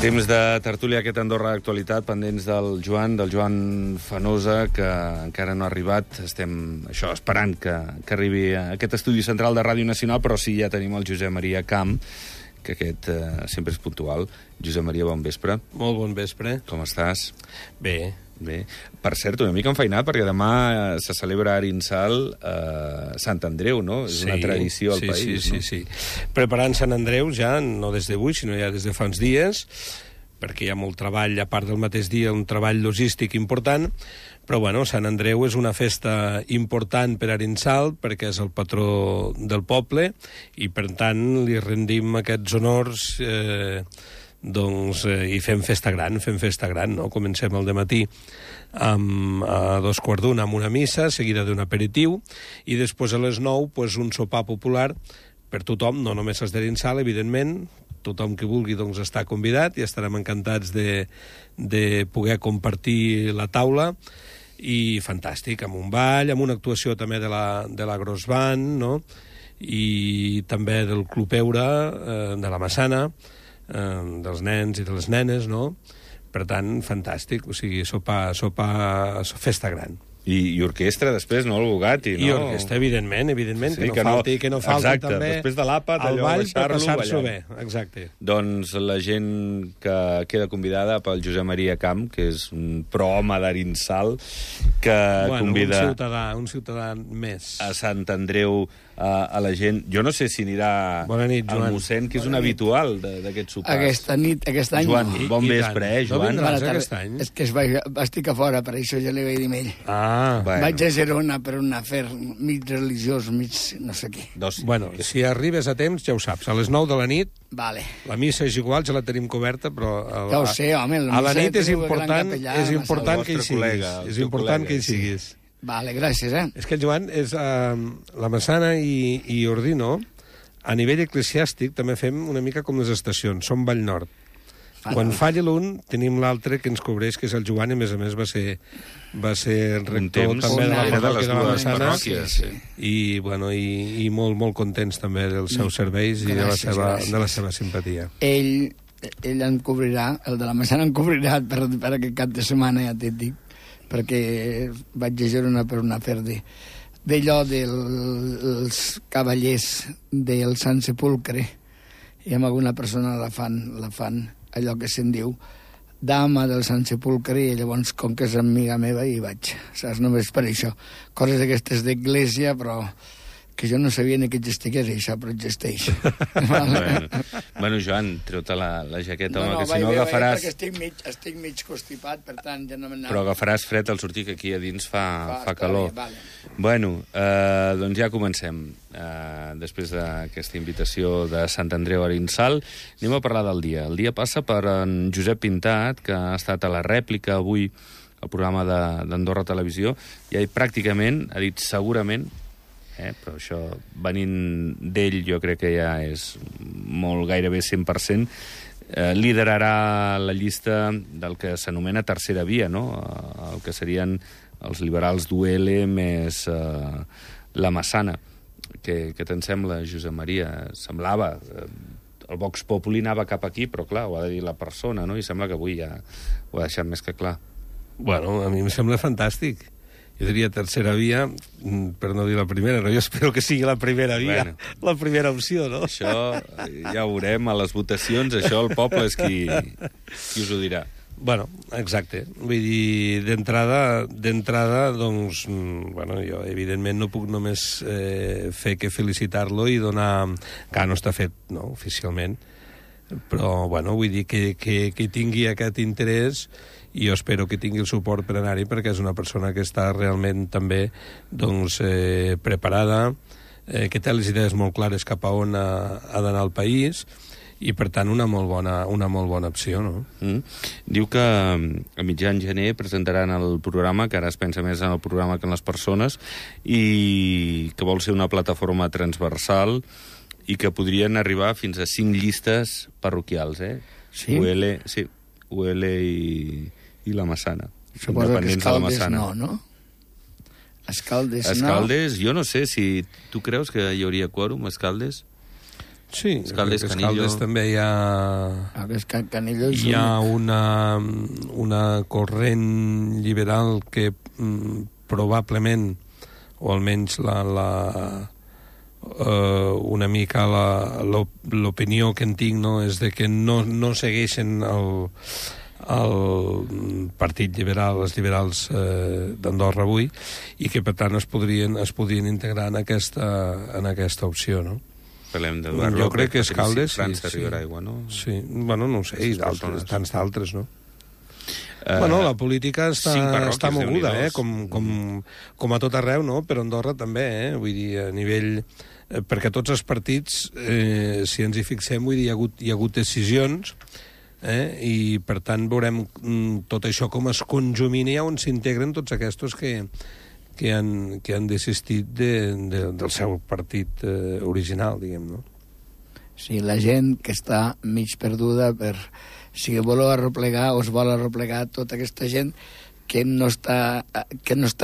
Temps de tertúlia aquest Andorra d'actualitat, pendents del Joan Fanosa, que encara no ha arribat. Estem esperant que arribi a aquest estudi central de Ràdio Nacional, però sí, ja tenim el Josep Maria Camp, que aquest sempre és puntual. Josep Maria, bon vespre. Molt bon vespre. Com estàs? Bé. Per cert, una mica enfeinat, perquè demà se celebra a Arinsal Sant Andreu, no? És una tradició al país, no? Sí. Preparant Sant Andreu ja, no des d'avui, sinó ja des de fa uns dies, perquè hi ha molt treball, a part del mateix dia, un treball logístic important, però bueno, Sant Andreu és una festa important per Arinsal, perquè és el patró del poble, i per tant li rendim aquests honors i fem festa gran, no? Comencem al dematí a 2:15 amb una missa, seguida d'un aperitiu, i després a les 9 un sopar popular per tothom, no només els d'Arinsal, evidentment, tothom que vulgui està convidat i estarem encantats de poder compartir la taula, i fantàstic, amb un ball, amb una actuació també de la Gros Band, no? I també del Club Eura, de la Massana, dels nens i de les nenes, no? Per tant, fantàstic, o sigui, festa gran. I orquestra, després, no? El Bugatti, no? I orquestra, evidentment, sí, que no falti exacte, també després de l'àpat, el ball per passar-s'ho ballant. bé, exacte. Doncs la gent que queda convidada pel Josep Maria Camp, que és un prohome d'Arinsal, que convida... Un ciutadà més. A Sant Andreu, a la gent... Jo no sé si anirà al mossèn, que és un habitual d'aquests sopars. Aquest any... Joan, bon vespre, Joan? No vindràs aquest any? És que estic a fora, per això ja li vaig dir a ell. Bueno. Vaig a Girona per un afer mig religiós, mig no sé què. Bueno, si arribes a temps, ja ho saps. A les 9 de la nit, vale. La missa és igual, ja la tenim coberta, però... Ja ho sé, home. A la nit és important que hi siguis. És important que hi siguis. Vale, gràcies, És que el Joan és la Massana i Ordino, a nivell eclesiàstic també fem una mica com les estacions, som Vall Nord. Quan falla l'un, tenim l'altre que ens cobreix, que és el Joan, i a més va ser rector també de la parròquia de la Massana, i molt contents també dels seus serveis i de la seva simpatia. Ell em cobrirà, el de la Massana em cobrirà per aquest cap de setmana, ja t'he dit, perquè vaig a Girona per un afer d'allò dels cavallers del Sant Sepulcre, i amb alguna persona la fan allò que se'n diu dama del Sant Sepulcre, i llavors, com que és amiga meva, hi vaig, saps? Només per això. Coses d'aquestes d'església, però que jo no sabia ni que existeix això, però existeix. Bueno, Joan, treu-te la jaqueta, que si no agafaràs... Perquè estic mig constipat, per tant, ja no m'anava... Però agafaràs fred al sortir, que aquí a dins fa calor. Vale. Bueno, doncs ja comencem. Després d'aquesta invitació de Sant Andreu a Arinsal, anem a parlar del dia. El dia passa per en Josep Pintat, que ha estat a la rèplica avui al programa d'Andorra Televisió, i pràcticament ha dit segurament, però això, venint d'ell, jo crec que ja és molt gairebé 100%, liderarà la llista del que s'anomena tercera via, no? El que serien els liberals d'UL més la Massana. Què te'n sembla, Josep Maria? Semblava... El Vox Populi anava cap aquí, però clar, ho ha de dir la persona, no? I sembla que avui ja ho ha deixat més que clar. Bueno, a mi em sembla fantàstic. Jo diria tercera via, per no dir la primera, no? Jo espero que sigui la primera via, la primera opció, no? Això ja ho veurem a les votacions, això el poble és qui us ho dirà. Bueno, exacte. Vull dir, d'entrada, doncs, jo evidentment no puc només fer que felicitar-lo i donar... Que no està fet, no?, oficialment. Però, vull dir que tingui aquest interès, i jo espero que tingui el suport per anar-hi, perquè és una persona que està realment també preparada, que té les idees molt clares cap a on ha d'anar el país, i per tant una molt bona opció, no? Diu que a mitjan gener presentaran el programa, que ara es pensa més en el programa que en les persones, i que vol ser una plataforma transversal i que podrien arribar fins a 5 llistes parroquials, Sí? UL i la Massana. Suposo que Escaldes no? Escaldes, jo no sé si... Tu creus que hi hauria quòrum, Escaldes? Sí, Escaldes, Canillo... Escaldes també hi ha... Canillo hi ha una corrent liberal que probablement, o almenys una mica l'opinió que en tinc, no, és de que no segueixen el Partit Liberal, els liberals d'Andorra avui, i que per tant es podrien integrar en aquesta opció, no? Parlem d'Eduard López, jo crec que Escaldes, França Ribera Aigua, no? Sí, bueno, no ho sé, i tants d'altres, no? Bueno, la política està moguda, com a tot arreu, no? Però Andorra també, vull dir, a nivell... Perquè tots els partits, si ens hi fixem, vull dir, hi ha hagut decisions, i per tant veurem tot això com es conjumina on s'integren tots aquests que han desistit del seu partit original, diguem, no? Sí, la gent que està mig perduda si voleu arreplegar o es vol arreplegar tota aquesta gent que no està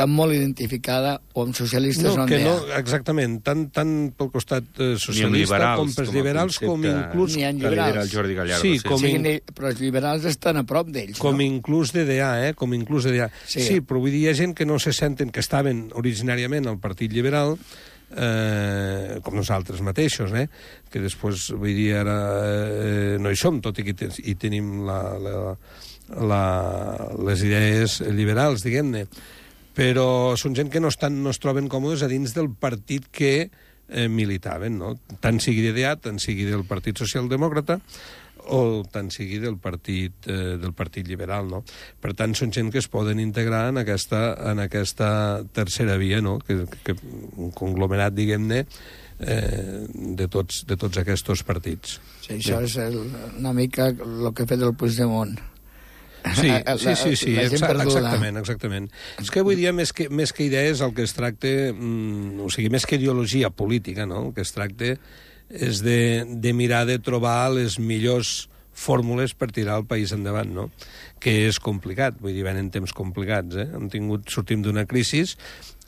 molt identificada o amb socialistes no, exactament, tant pel costat socialista com pels liberals, com inclús... Ni en liberals. Jordi Gallardo. Però els liberals estan a prop d'ells, com inclús DDA, com inclús DDA. Sí, però vull dir, hi ha gent que no se senten, que estaven originàriament al Partit Liberal, com nosaltres mateixos, que després, vull dir, ara no hi som, tot i que hi tenim les idees liberals, diguem-ne, però són gent que no es troben còmodes a dins del partit que militaven, no? Tant sigui DDA, tant sigui del Partit Socialdemòcrata, o tant sigui del partit liberal, no? Per tant, són gent que es poden integrar en aquesta tercera via, no? Que un conglomerat, diguem-ne, de tots aquests partits. Sí, això és una mica el que ha fet el Puigdemont. Sí, exactament. És que avui dia, més que idees, el que es tracta, o sigui, més que ideologia política, no? El que es tracta és de mirar de trobar les millors fórmules per tirar el país endavant, no? Que és complicat, vull dir, venen temps complicats, sortim d'una crisi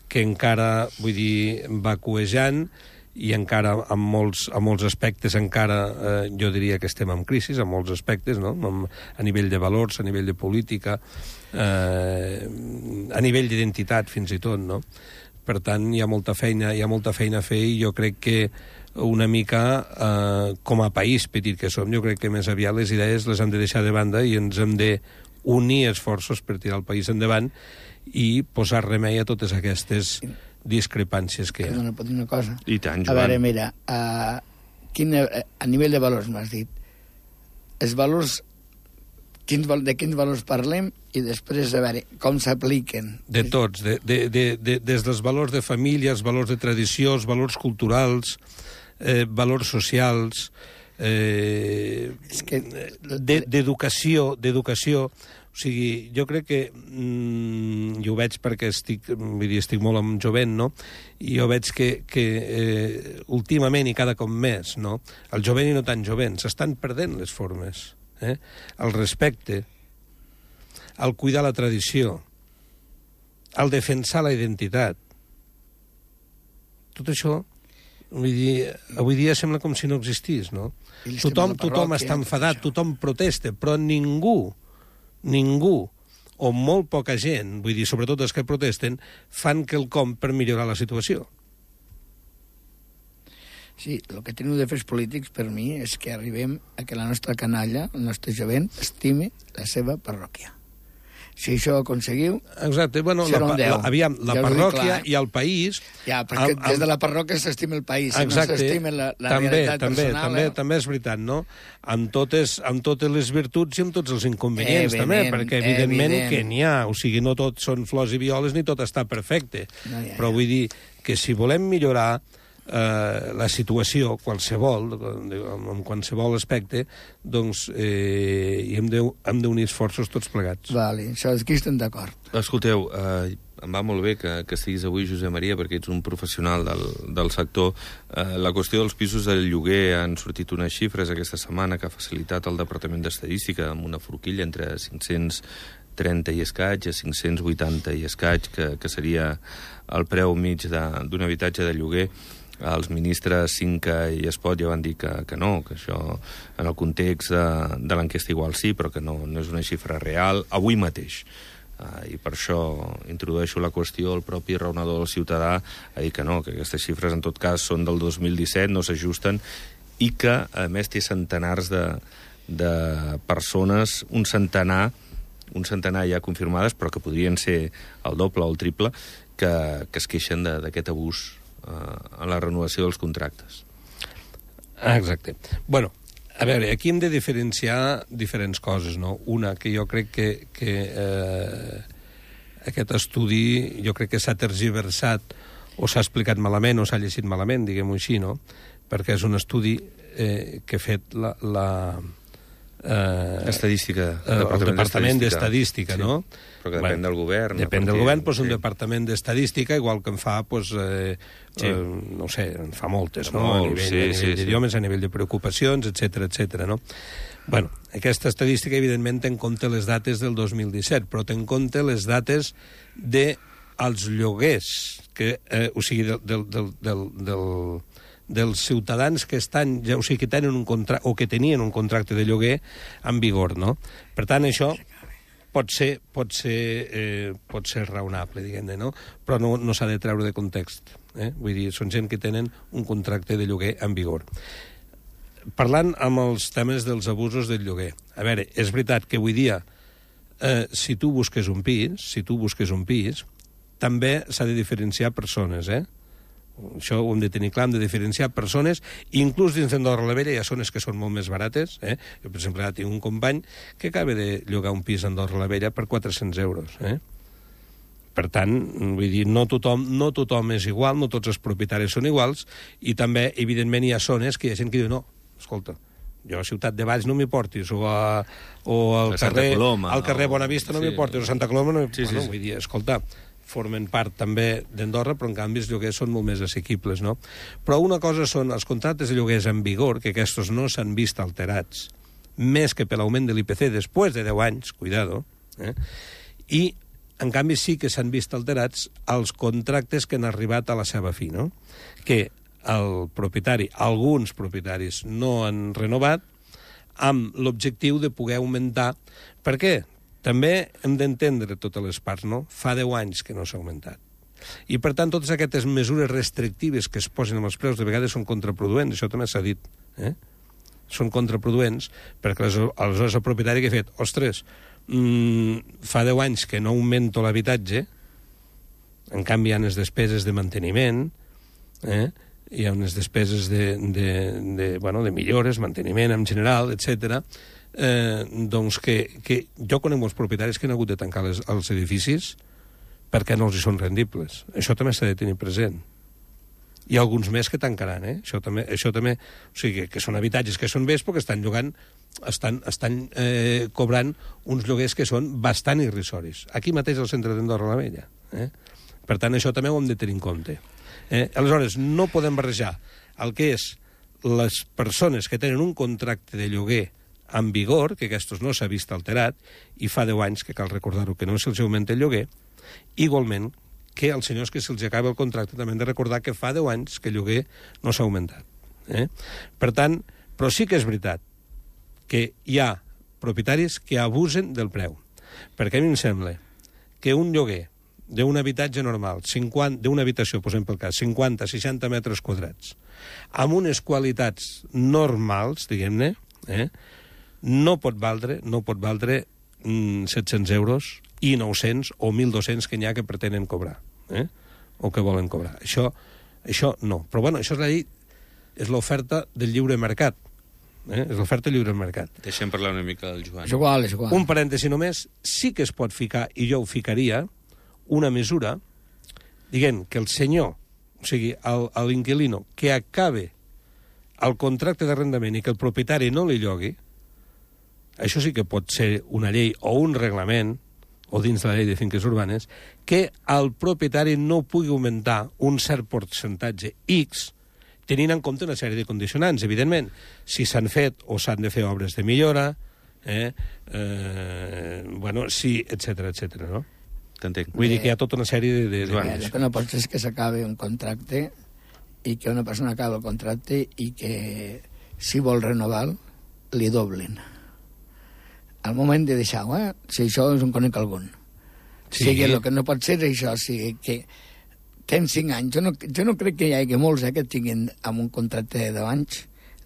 que encara, vull dir, va cuejant, i encara, en molts aspectes, encara jo diria que estem en crisi, en molts aspectes, no? A nivell de valors, a nivell de política, a nivell d'identitat, fins i tot, no? Per tant, hi ha molta feina a fer, i jo crec que una mica, com a país petit que som, jo crec que més aviat les idees les hem de deixar de banda i ens hem d'unir esforços per tirar el país endavant i posar remei a totes aquestes discrepàncies que hi ha. Perdona, pot dir una cosa? I tant, Joan. A veure, mira, a nivell de valors m'has dit, els valors, de quins valors parlem, i després, a veure, com s'apliquen? De tots, des dels valors de família, els valors de tradició, els valors culturals, valors socials, d'educació. O sigui, jo crec que, i ho veig perquè estic molt amb jovent, no? I jo veig que últimament i cada cop més, no? El jovent i no tan jovent, s'estan perdent les formes. El respecte, el cuidar la tradició, el defensar la identitat. Tot això, vull dir, avui dia sembla com si no existís, no? Tothom està enfadat, tothom protesta, però ningú, o molt poca gent, vull dir, sobretot els que protesten, fan quelcom per millorar la situació. Sí, el que teniu de fer els polítics, per mi, és que arribem a que la nostra canalla, el nostre jovent, estime la seva parròquia. Si això ho aconseguiu, exacte, bueno, aviam, la parròquia i el país... Ja, perquè des de la parròquia s'estima el país, exacte, no s'estima la realitat personal. També és veritat, no? Amb totes les virtuts i amb tots els inconvenients, també, perquè evidentment que n'hi ha, o sigui, no tot són flors i violes ni tot està perfecte, però vull dir que si volem millorar la situació, qualsevol, en qualsevol aspecte, doncs hem d'unir esforços tots plegats. Vale, això aquí estem d'acord. Escolteu, em va molt bé que estiguis avui, Josep Maria, perquè ets un professional del sector. La qüestió dels pisos de lloguer, han sortit unes xifres aquesta setmana que ha facilitat el Departament d'Estadística amb una forquilla entre 530 i escaig a 580 i escaig, que seria el preu mig d'un habitatge de lloguer. Els ministres Cinca i Espot ja van dir que no, que això, en el context de l'enquesta igual sí, però que no és una xifra real, avui mateix. I per això introdueixo la qüestió, el propi raonador del Ciutadà a dir que no, que aquestes xifres en tot cas són del 2017, no s'ajusten, i que, a més, té centenars de persones, un centenar ja confirmades, però que podrien ser el doble o el triple, que es queixen d'aquest abús en la renovació dels contractes. Exacte. Bueno, a veure, aquí hem de diferenciar diferents coses, no? Una, que jo crec que aquest estudi jo crec que s'ha tergiversat o s'ha explicat malament o s'ha llegit malament, diguem-ho així, no? Perquè és un estudi que ha fet Estadística. El Departament d'Estadística, sí, no? Però que depèn del govern. Depèn del govern, doncs un Departament d'Estadística, igual que en fa, no sé, en fa moltes, no? A nivell d'idiomes, a nivell de preocupacions, etc, no? Bueno, aquesta estadística, evidentment, té en compte les dates del 2017, però té en compte les dates dels lloguers, o sigui, dels ciutadans que estan, o sigui, que tenen un contracte o que tenien un contracte de lloguer en vigor, no? Per tant, això pot ser raonable, diguem-ne, no? Però no s'ha de treure de context. Vull dir, són gent que tenen un contracte de lloguer en vigor. Parlant amb els temes dels abusos del lloguer, a veure, és veritat que avui dia, si tu busques un pis, també s'ha de diferenciar persones, Això ho hem de tenir clar, hem de diferenciar persones, inclús dins d'Andorra la Vella hi ha zones que són molt més barates. Jo, per exemple, ara tinc un company que acaba de llogar un pis a Andorra la Vella per 400 euros. Per tant, vull dir, no tothom és igual, no tots els propietaris són iguals, i també, evidentment, hi ha zones que hi ha gent que diu, no, escolta, jo a Ciutat de Valls no m'hi portis, o al carrer Bonavista no m'hi portis, o a Santa Coloma no m'hi portis. Vull dir, escolta, formen part també d'Andorra, però en canvi els lloguers són molt més assequibles, no? Però una cosa són els contractes de lloguers en vigor, que aquests no s'han vist alterats, més que per l'augment de l'IPC després de 10 anys, cuidado, i en canvi sí que s'han vist alterats els contractes que han arribat a la seva fi, no? Que el propietari, alguns propietaris no han renovat amb l'objectiu de poder augmentar. Per què? També hem d'entendre totes les parts, no? Fa 10 anys que no s'ha augmentat. I, per tant, totes aquestes mesures restrictives que es posen amb els preus de vegades són contraproduents, això també s'ha dit. Són contraproduents perquè aleshores el propietari que ha fet, ostres, fa 10 anys que no augmento l'habitatge, en canvi hi ha unes despeses de manteniment, hi ha unes despeses de millores, manteniment en general, etcètera. Doncs que jo conec molts propietaris que han hagut de tancar els edificis perquè no els hi són rendibles. Això també s'ha de tenir present. Hi ha alguns més que tancaran, Això també, o sigui, que són habitatges que són vells perquè estan llogant, estan cobrant uns lloguers que són bastant irrisoris. Aquí mateix al centre d'Andorra la Vella. Per tant, això també ho hem de tenir en compte. Aleshores, no podem barrejar el que és les persones que tenen un contracte de lloguer en vigor, que aquests no s'ha vist alterat, i fa 10 anys, que cal recordar-ho, que no se'ls augmenta el lloguer, igualment que als senyors que se'ls acaba el contracte també hem de recordar que fa 10 anys que el lloguer no s'ha augmentat. Per tant, però sí que és veritat que hi ha propietaris que abusen del preu, perquè a mi em sembla que un lloguer d'un habitatge normal, d'una habitació, posem pel cas, 50-60 metres quadrats, amb unes qualitats normals, diguem-ne, no pot valdre 700 euros i 900 o 1.200 que n'hi ha que pretenen cobrar, o que volen cobrar. Això no. Però, bueno, això és la llei, és l'oferta del lliure mercat. És l'oferta del lliure mercat. Deixem parlar una mica del Joan. És igual. Un parèntesi només, sí que es pot ficar, i jo ho ficaria, una mesura, diguem que el senyor, o sigui, l'inquilino, que acabe el contracte d'arrendament i que el propietari no li llogui, això sí que pot ser una llei o un reglament, o dins de la llei de finques urbanes, que el propietari no pugui augmentar un cert percentatge X, tenint en compte una sèrie de condicionants, evidentment. Si s'han fet o s'han de fer obres de millora, etc, no? T'entenc. Vull dir que hi ha tota una sèrie de... El que no pot ser és que s'acabi un contracte i que una persona acaba el contracte i que si vol renovar li doblen. Al moment de deixar-ho, si això és un conec algun. Sí. O sigui, el que no pot ser és això, o sigui, que tens 5 anys. Jo no crec que hi hagi molts que tinguin amb un contracte de 10 anys.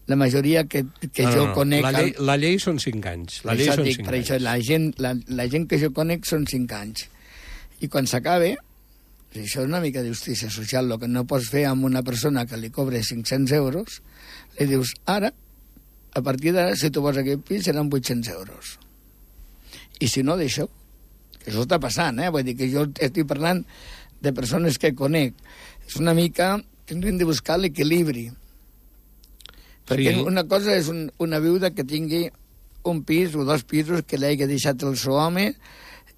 La majoria que jo conec... La llei són 5 anys. La llei són 5 anys. La gent que jo conec són 5 anys. I quan s'acabe, això és una mica de justícia social, el que no pots fer amb una persona que li cobre 500 euros, li dius, ara, a partir d'ara, si tu vols aquest pis, seran 800 euros. I si no, d'això, que això està passant, vull dir que jo estic parlant de persones que conec. És una mica que hem de buscar l'equilibri. Perquè una cosa és una viuda que tingui un pis o 2 pisos que l'hagi deixat el seu home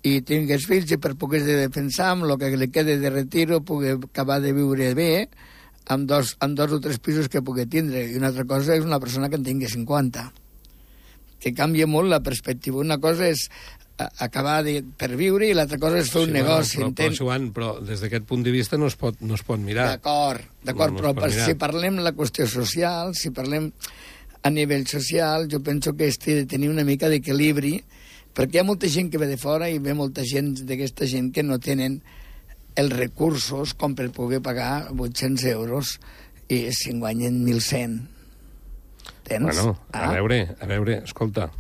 i tingués fills i per poder defensar amb el que li quede de retiro pugui acabar de viure bé amb dos o 3 pisos que pugui tindre. I una altra cosa és una persona que en tingui 50. Que canvia molt la perspectiva. Una cosa és acabar per viure i l'altra cosa és fer un negoci. Però des d'aquest punt de vista no es pot mirar. D'acord, però si parlem de la qüestió social, si parlem a nivell social, jo penso que té de tenir una mica d'equilibri, perquè hi ha molta gent que ve de fora i ve molta gent d'aquesta gent que no tenen els recursos com per poder pagar 800 euros i si en guanyen 1.100. Tens? Bueno, a veure, escolta...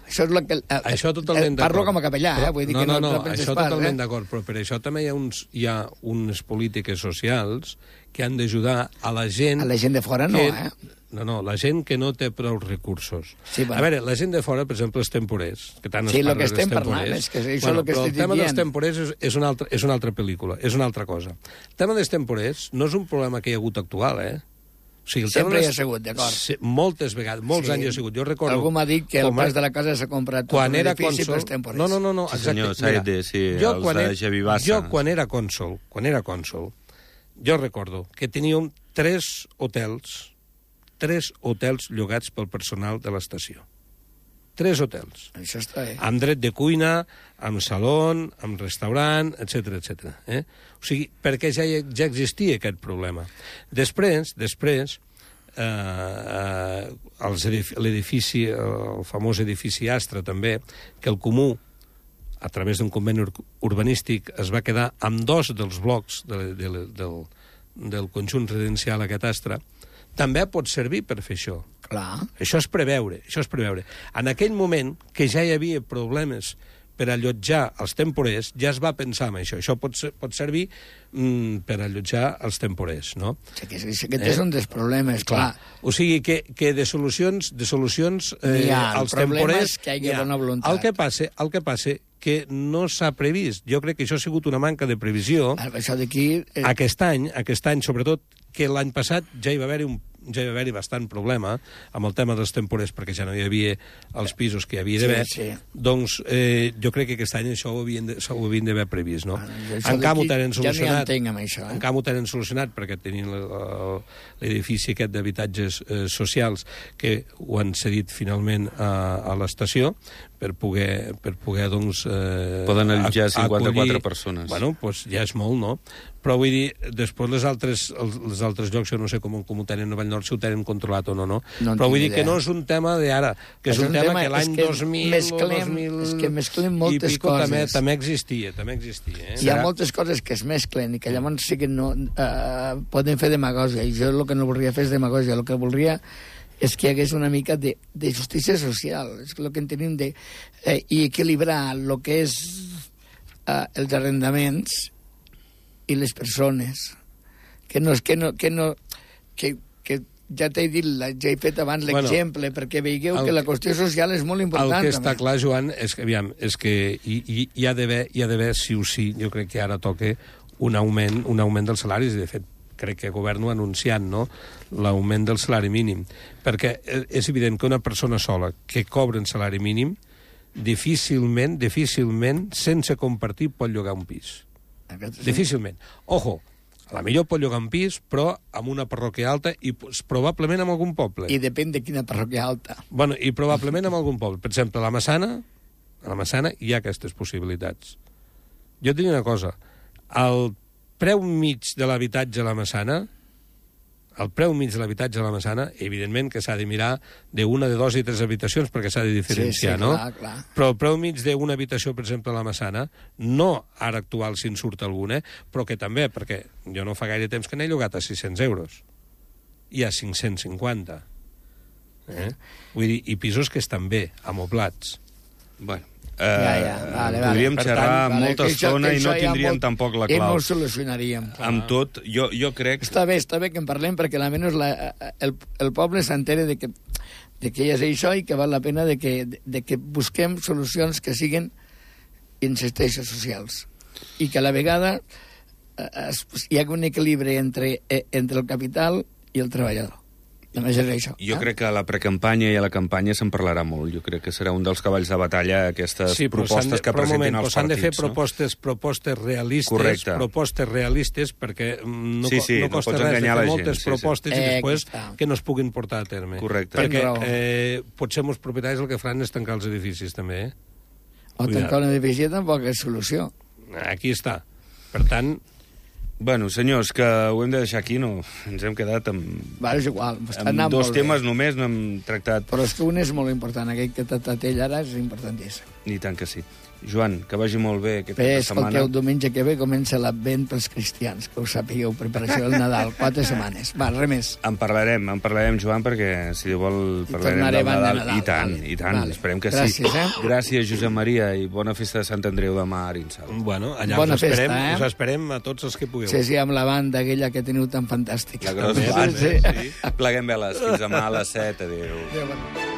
Això és que... Això totalment d'acord. Parlo com a capellà, vull dir que no això totalment d'acord, però per això també hi ha unes polítiques socials que han d'ajudar a la gent... A la gent de fora no, No, la gent que no té prou recursos. Sí, bueno. A veure, la gent de fora, per exemple, els temporers, que tant sí, es parla dels temporers... Sí, el que estem parlant és que això és el que estic dient. Però el tema dels temporers és una altra pel·lícula, és una altra cosa. El tema dels temporers no és un problema que hi ha hagut actual, O sigui, sempre hi ha sigut, d'acord. Moltes vegades, molts anys hi ha sigut. Jo recordo... Algú m'ha dit que el pas de la casa s'ha comprat tot un edifici pels temporers. No, sí, senyor, exacte. Els de Javi Bassa. Jo, quan era cònsol, jo recordo que teníem 3 hotels llogats pel personal de l'estació. 3 hotels. Això està bé. Amb dret de cuina, amb saló, amb restaurant, etc. O sigui, perquè ja existia aquest problema. Després, l'edifici, el famós edifici Astra, també, que el Comú, a través d'un conveni urbanístic, es va quedar amb 2 dels blocs del conjunt residencial aquest Astra, també pot servir per fer això. Clar. Això és preveure. En aquell moment, que ja hi havia problemes per allotjar els temporers, ja es va pensar en això. Això pot servir per allotjar els temporers, no? Aquest és un dels problemes, clar. O sigui que de solucions als temporers... que hi ha bona voluntat. El que passa que no s'ha previst. Jo crec que això ha sigut una manca de previsió. Això d'aquí... Aquest any, sobretot, que l'any passat ja hi va haver-hi bastant problema amb el tema dels temporers, perquè ja no hi havia els pisos que hi havia d'haver. Sí. Doncs jo crec que aquest any això ho havien d'haver previst, no? En canvi ho tenen solucionat. Ja n'hi entenc amb això, En canvi ho tenen solucionat perquè tenien l'edifici aquest d'habitatges socials que ho han cedit finalment a l'estació per poder doncs... Poden allotjar 54 persones. Bueno, doncs ja és molt, no? Però vull dir, després els altres llocs, jo no sé com ho tenen a Vallnord, si ho tenen controlat o no. Però vull dir que no és un tema d'ara, que és un tema que l'any 2000 o 2000... És que mesclem moltes coses. També existia. Hi ha moltes coses que es mesclen i que llavors sí que no poden fer demagògia, i jo el que no voldria fer és demagògia, el que voldria és que hi hagués una mica de justícia social, és el que en tenim i equilibrar el que és els arrendaments i les persones, que ja t'he dit, ja he fet abans l'exemple, perquè veieu que la qüestió social és molt important. El que està clar, Joan, és que hi ha d'haver, sí o sí, jo crec que ara toca un augment dels salaris, i de fet crec que el govern ho ha anunciat, no?, l'augment del salari mínim, perquè és evident que una persona sola que cobra un salari mínim difícilment, sense compartir, pot llogar un pis. Difícilment. Ojo, a la millor pot llogar un pis, però amb una parròquia alta i probablement amb algun poble. I depèn de quina parròquia alta. Bueno, i probablement amb algun poble. Per exemple, a la Massana hi ha aquestes possibilitats. Jo et dic una cosa, el preu mig de l'habitatge a la Massana, el preu mig de l'habitatge a la Massana, evidentment que s'ha de mirar d'una, de dos i tres habitacions perquè s'ha de diferenciar, sí, no? Clar. Però el preu mig d'una habitació, per exemple, a la Massana, no ara actual si en surt alguna, però que també, perquè jo no fa gaire temps que n'he llogat a 600 euros. I a 550. Vull dir, i pisos que estan bé, amoblats. Bueno, vale. podríem xerrar molta estona i no tindríem tampoc la clau. I no ho solucionaríem. Amb tot, jo crec... Està bé que en parlem perquè almenys el poble s'entere de que hi ha això i que val la pena de que busquem solucions que siguin, insisteixo, socials. I que a la vegada hi hagi un equilibri entre el capital i el treballador. Només és això. Jo crec que a la precampanya i a la campanya se'n parlarà molt. Jo crec que serà un dels cavalls de batalla aquestes propostes que presentin els partits. S'han de fer propostes realistes, correcte. Propostes realistes, perquè no costa res fer moltes propostes i després que no es puguin portar a terme. Correcte. Perquè potser molts propietaris el que faran és tancar els edificis, també. O tancar un edifici tampoc és solució. Aquí està. Per tant... Bueno, senyors, que ho hem de deixar aquí, no? Ens hem quedat amb... És igual. Amb dos temes només no hem tractat... Però és que un és molt important. Aquell que t'ha tractat ell ara és importantíssim. I tant que sí. Joan, que vagi molt bé aquesta setmana. Escolteu, diumenge que ve comença l'Advent pels cristians, que ho sapigueu, preparació del Nadal, 4 setmanes. Va, res més. En parlarem, Joan, perquè si Déu vol parlarem del Nadal. I tant. Vale. Esperem que gràcies, sí. Gràcies, Josep Maria, i bona festa de Sant Andreu demà a Arinsal. Bueno, allà us esperem a tots els que pugueu. Sí, amb la banda aquella que teniu tan fantàstica. La grossa banda, sí. Pleguem veles. Fins demà a les 7. Adéu.